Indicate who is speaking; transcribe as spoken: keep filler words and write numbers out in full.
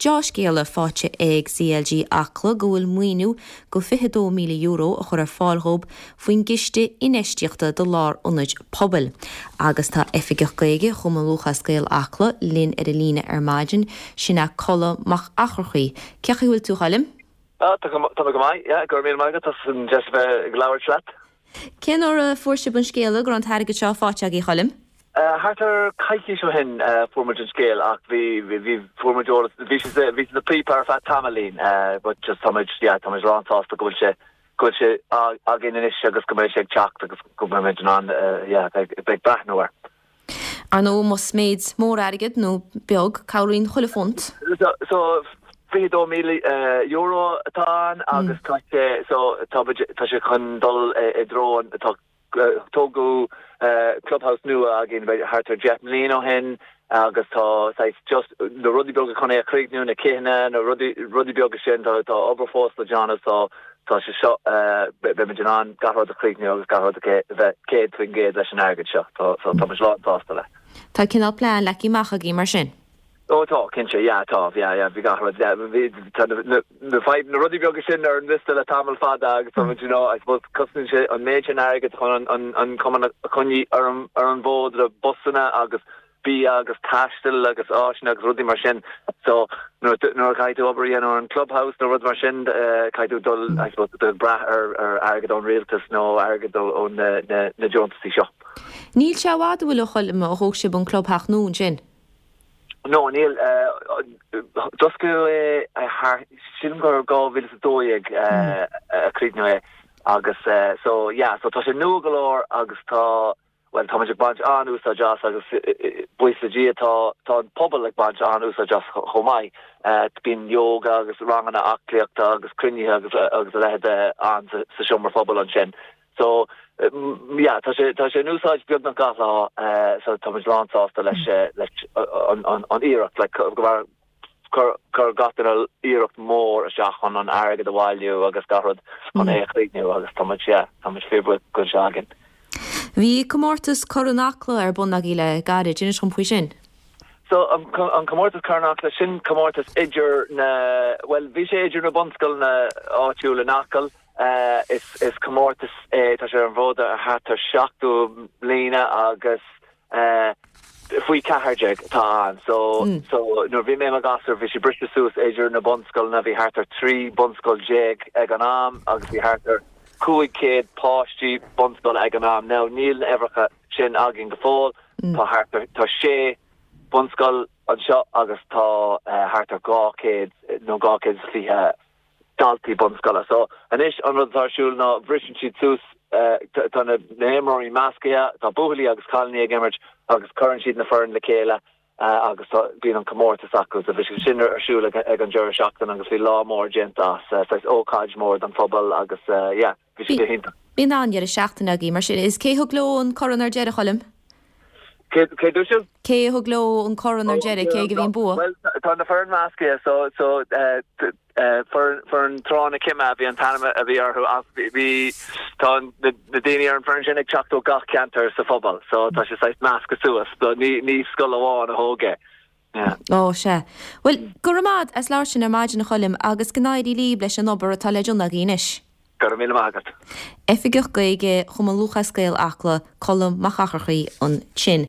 Speaker 1: Deá-scéala faighte ag CLG Acla go bhfuil maoiniú go fiche dó míle euro a chur ar fáil dhóibh faoin gciste infheistíochta do lárionaid pobail. Agus tá Oifigeach Gaeilge Chumann Lúthchleas Gael Acla linn ar an líne ar maidin, sin é Colm Mac Eachmharcaigh. Cén chaoi a bhfuil tú a Choilm?
Speaker 2: Ah, tá go maith, yeah, go raibh míle maith agat as an deis a bheith ag labhairt leat.
Speaker 1: Cén uair a fuair sibh an scéala go raibh an t-airgead seo faighte agaibh a Choilm?
Speaker 2: Uh, thart ar coicís ó shin uh, fuair muid an scéal ach bhí bhí fuair muid eolas bhí sé bhí na píopa ar feadh tamaillín uh, but just tá muid yeah, tá muid lánsásta go bhfuil sé go bhfuil sé againn anois agus go mbeidh sé ag teacht agus go mbeidh muid in ann uh, yeah, beidh beidh breathnú air.
Speaker 1: Ar ndóigh más méid mór airgead nó beag cabhraíonn chuile phunt.
Speaker 2: So, so fiche dó míle euro atá ann agus tá sé so tá tá sé chun dul i dtreo tá tógadh clubhouse nua againn thart ar deich mbliana ó shin agus tá just na rudaí beaga chun é a chríochnú na céanna na rudaí rudaí beaga sin tá tá obair fós le déanamh so tá sé seo beimid in ann gach rud a chríochnú agus gach rud bheith céad faoin gcéad leis an airgead seo tá so tá lánsásta le.
Speaker 1: Tá cineál plean leagtha amach agaibh mar sin.
Speaker 2: Ó tá cinnte yeah tá yeah yeah bhí gach rud bhí na fadhb na rudaí beaga sin ar an liosta le tamall fada agus tá you know I suppose cosnaíonn sé an méid sin airgead chun an an cumann a choinneáil ar an ar an bhfód le busanna agus bia agus taisteal agus áiseanna agus rudaí mar sin so nuair nuair caithfidh tú obair ar an clubhouse nó rud mar sin uh, caithfidh tú dul I suppose do brath ar ar airgead ón rialtas nó airgead ó na na na deontaisí seo.
Speaker 1: Níl sé i bhfad a Choilm ó thóg sibh an clubtheach nua sin.
Speaker 2: No níl d'oscail é thar sin gur dhá mhíle a dó dhéag a críochnaíodh é agus so yeah so tá sé nua go leor agus tá well tá ag baint an-úsáid as agus buíochas le Dia tá tá an pobal ag baint an-úsáid as chomh maith bíonn yoga agus ranganna aclaíochta agus cruinnithe agus agus a leithéid ann sa seomra pobail ansin. So yeah, tá sé tá sé in úsáid beagnach gach lá so tá lánsásta leis leis an an an iarracht le go chuir gach duine iarracht mór isteach chun an airgead a bhailiú agus gach rud chun é a chríochnú agus tá sé tá fíorbhuíoch go sé againn.
Speaker 1: Bhí comórtas Corn Acla ar bun agaibh le gairid inis dom faoi sin.
Speaker 2: So an, an comórtas Corn Acla sin comórtas idir na well bhí sé idir na bunscoileanna áitiúla in Acaill uh, is is comórtas é tá sé ar an bhfód ar thart ar seachtó bliana agus uh, faoi ceathair déag tá an so mm. so nuair bhí mé i mo ghasúr bhí sé briste suas idir na bunscoileanna bhí thart ar trí bunscoil déag ag an am agus bhí thart ar cúig céad páistí bunscoile ag an am now níl na huimhreacha sin againn go fóill mm. tá thart ar tá sé bunscoil anseo agus tá uh, thart ar dhá chéad nó dhá chéad fiche daltaí bunscoile so anois an rud atá ar siúl ná briseann siad suas uh, tá na himreoirí measctha tá buachaillí agus cailíní ag imirt agus cuireann siad na foirne le chéile uh, agus bíonn an comórtas acu a bhí sin ar siúl ag, ag an deireadh seachtaine agus bhí lá mór déanta as uh, ócáid mór don phobal agus uh, yeah, bhí sé iontach.
Speaker 1: Bíonn an deireadh seachtaine agaibh mar sin is cé thug leo an corn ar deireadh a Choilm?
Speaker 2: Cé dú
Speaker 1: Cé thug leo an corn ar deireadh cé a bhí an bua?
Speaker 2: Well tá na foirne measctha so so uh, uh, foireann Trá na Cime bhí an t-ainm a bhí orthu bhí tá na daoine ar an bhfoireann sin ag teacht ó gach ceantar sa phobal so tá sé saghas measctha suas so ní ní scoil amháin a thóg é.
Speaker 1: Ó sé. Well go raibh maith as labhairt linn ar maidin a Choilm agus go n-éirí libh leis an obair atá le déanamh agaibh anois.
Speaker 2: Go raibh míle maith agat.
Speaker 1: Oifigeach Gaeilge Chumann Lúthchleas Gael Acla Colm Mac Eachmharcaigh ansin.